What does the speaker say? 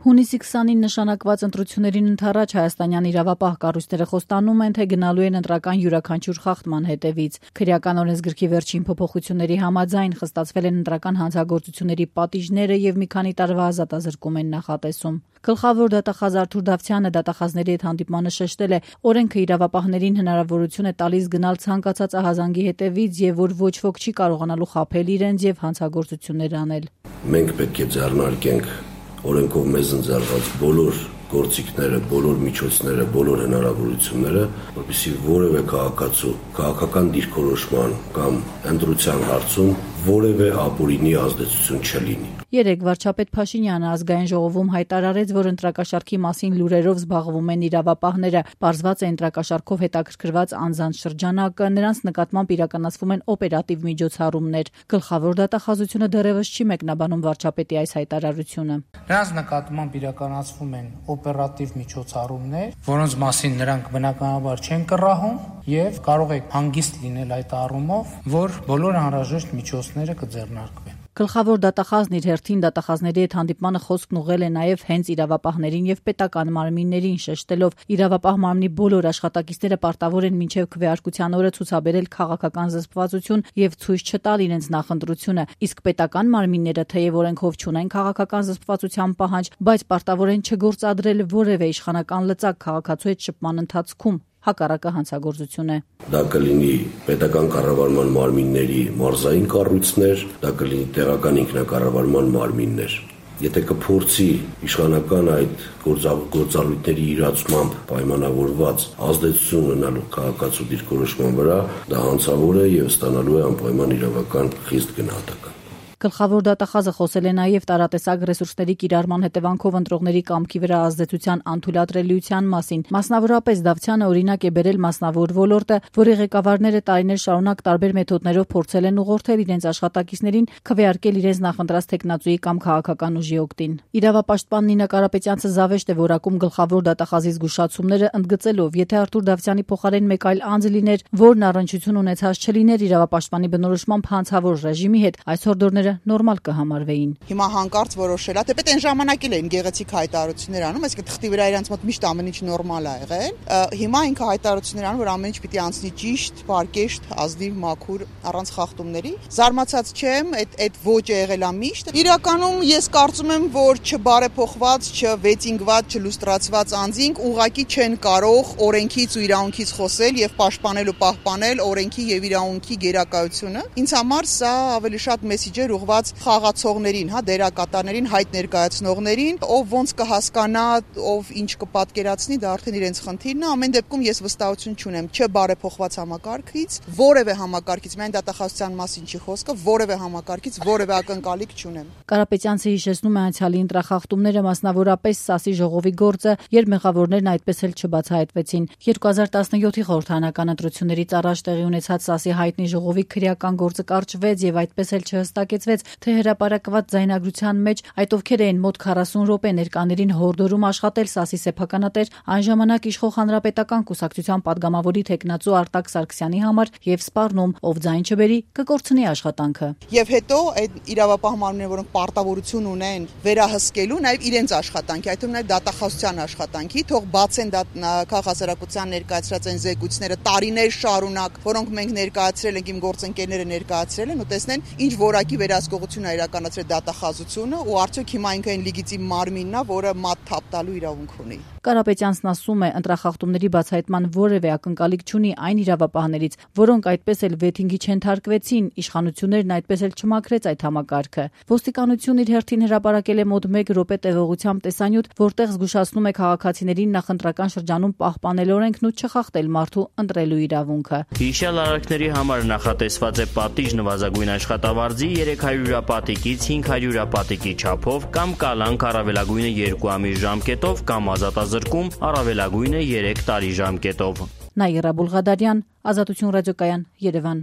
Հունիսի 20-ին նշանակված ընտրություններին ընդառաջ հայաստանյան իրավապահ կառույցները խոստանում են, թե գնալու են ընտրական յուրաքանչյուր խախտման հետևից։ Քրեական օրենսգրքի վերջին փոփոխությունների համաձայն խստացվել են ընտրական հանցագործությունների պատիժները եւ մի քանի տարվա ազատազրկում են նախատեսում։ Գլխավոր դատախազ Արթուր Դավթյանը դատախազների հետ հանդիպմանը շեշտել է, օրենքը իրավապահներին հնարավորություն է տալիս գնալ ցանկացած ահազանգի հետևից եւ որ ոչ ոք չի կարողանալու խաբել իրենց եւ հանցագործություններ անել։ Մենք պետք է ձեռնարկենք օրենքով մեզ ընձեռված բոլոր գործիքները, բոլոր միջոցները, բոլոր հնարավորությունները, որպեսզի որևէ քաղաքացու քաղաքական դիրքորոշման կամ ընտրության հարցում որևէ ապօրինի ազդեցություն չլինի։ Երեկ վարչապետ Փաշինյանը ազգային ժողովում հայտարարեց, որ ընտրակաշարքի մասին լուրերով զբաղվում են իրավապահները, պարզված է ընտրակաշարքով հետաքրքրված անձանց շրջանակը, նրանց նկատմամբ իրականացվում են օպերատիվ միջոցառումներ։ Գլխավոր դատախազությունը դեռևս չի մեկնաբանում վարչապետի այս հայտարարությունը։ Նրանց նկատմամբ իրականացվում են օպերատիվ միջոցառումներ, որոնց մասին նրանք բնականաբար չեն կռահում եւ կարող է հանգիստ լինել այդ առումով, որ բոլոր անհրաժեշտ միջոցները կձեռնարկվեն։ Գլխավոր դատախազն իր հերթին դատախազների հետ հանդիպմանը խոսքն ուղղել է նաև հենց իրավապահներին եւ պետական մարմիններին, շեշտելով իրավապահ մարմնի բոլոր աշխատակիցները պարտավոր են մինչև քվեարկության օրը ցուցաբերել քաղաքական զսպվածություն եւ ցույց չտալ իրենց նախընտրությունը, իսկ պետական մարմինները թեև օրենքով չունեն քաղաքական զսպվածության պահանջ, բայց պարտավոր են չգործադրել որևէ իշխանական լծակ քաղաքացու հետ շփման ընթացքում։ Հակառակը հանցագործություն է։ Դա կլինի պետական կառավարման մարմինների մարզային կառույցներ, դա կլինի տեղական ինքնակառավարման մարմիններ։ Եթե կփորձի իշխանական այդ գործառույթների իրացմամբ պայմանավորված ազդեցություն ունենալու քաղաքացու դիրքորոշման վրա, դա հանցավոր է եւ ստանալու է անպայման իրավական խիստ գնահատական։ Գլխավոր դատախազը խոսել է նաև տարատեսակ ռեսուրսների կիրառման հետևանքով ընտրողների կամքի վրա ազդեցության անթույլատրելիության մասին։ Մասնավորապես Դավթյանը օրինակ է բերել մասնավոր ոլորտը, որի ղեկավարները տարիներ շարունակ տարբեր մեթոդներով փորձել են ուղղորդել իրենց աշխատակիցներին քվեարկել իրենց նախընտրած տեխնացուի կամ քաղաքական ուժի օգտին։ Իրավապաշտպան Նինա Կարապետյանցը զավեշտ է որակում գլխավոր դատախազի զգուշացումները, ընդգծելով, եթե Արթուր Դավթյանի փոխարեն մեկ այլ անձ լիներ, որն առնչություն ունեցած չլիներ իրավապաշտպանի բնորոշմամբ հանցավոր ռեժիմի հետ, այսօր դուրները նորմալ կհամարվեին։ Հիմա հանկարծ որոշել է, թեպետ այն ժամանակ էլ էին գեղեցիկ հայտարարություններ անում, այսինքն թղթի վրա իրանց մոտ միշտ ամեն ինչ նորմալ է եղել։ Հիմա ինքը հայտարարություններ անում, որ ամեն ինչ պիտի անցնի ճիշտ, պարկեշտ, ազնիվ, մաքուր, առանց խախտումների։ Զարմացած չեմ, այդ ոճը եղել է միշտ։ Իրականում ես կարծում եմ, որ չբարեփոխված, չվեցինգված, չլուստրացված անձինք ուղղակի չեն կարող օրենքից ու իրավունքից խոսել եւ պաշտպանել ու պահպանել օրենքի եւ իրավունքի գերակայությունը։ Ինձ համար սա ավելի շատ մեսիջ է ուղղված խաղացողներին, դերակատարներին, հայտ ներկայացնողներին, ով ոնց կհասկանա, ով ինչ կպատկերացնի, դա արդեն իրենց խնդիրն է։ Ամեն դեպքում ես վստահություն չունեմ չբարեփոխված համակարգից, որևէ համակարգից, միայն դատախազության մասին չի խոսքը, որևէ համակարգից, որևէ ակնկալիք չունեմ։ Կարապետյանցը հիշեցնում է անցյալի ընտրախախտումները, մասնավորապես Սասի ժողովի գործը, երբ մեղավորներն այդպես էլ չբացահայտվեցին։ 2017-ի խորհրդարանական ընտրություններից առաջ տեղի ունեցած Սասի հայտնի ժողովի քրեական գործը կարճվեց եւ այդպես էլ չհստակեցվեց, թե հրապարակված ձայնագրության մեջ այդ ովքեր էին մոտ 40 րոպե ներկաներին հորդորում աշխատել Սասի սեփականատեր այն ժամանակ իշխող հանրապետական կուսակցության падգամավորի տեխնացու Արտակ Սարգսյանի համար եւ սպառնում, ով ձայն չբերի, կկորցնի աշխատանքը։ Եվ հետո այդ իրավապահ մարմինները, որոնք պարտավորություն ունեն վերահսկելու նաեւ իրենց աշխատանքի, այդ թվում նաեւ դատախազության աշխատանքի, թող բացեն քաղաքասարակության ներկայացրած այն զեկույցները տարիներ շարունակ, որոնք մենք ներկայացրել ենք, իմ գործընկերները ներկայացրել են ու տեսնեն ինչ որակի վերահսկողություն է իրականացրել դատախազությունը ու արդյոք հիմա ինքը այն լեգիտիմ մարմինն է, որը մատ թափ տալու իրավունք ունի։ Կարապետյանցն ասում է, ընտրախախտումների բացահայտման որևէ ակնկալիք չունի այն իրավապահներից, որոնք այդպես էլ վեթինգի չընթարկվեցին, իշխանություններն այդպես էլ չմաքրեց այդ համակարգը։ Ոստիկանությունն իր հերթին հրապարակել է մոտ 1 րոպե տևողությամբ տեսանյութ, որտեղ զգուշացնում է քաղաքացիներին նախընտրական շրջանում պահպանել օրենքն ու չխախտել մարդու ընտրելու իրավունքը։ Հիշյալ արարքների համար նախատեսված է պատիժ նվազագույն աշխատավարձի 300 հյուրապատիկից 500 հյուրապատիկի չափով կամ կալանք առավելագույնը 2 ամիս ժամկետով կամ ազատազրկում առավելագույնը 3 տարի ժամկետով։ Նաիրա Բուլղադարյան, Ազատություն ռադիոկայան, Երևան։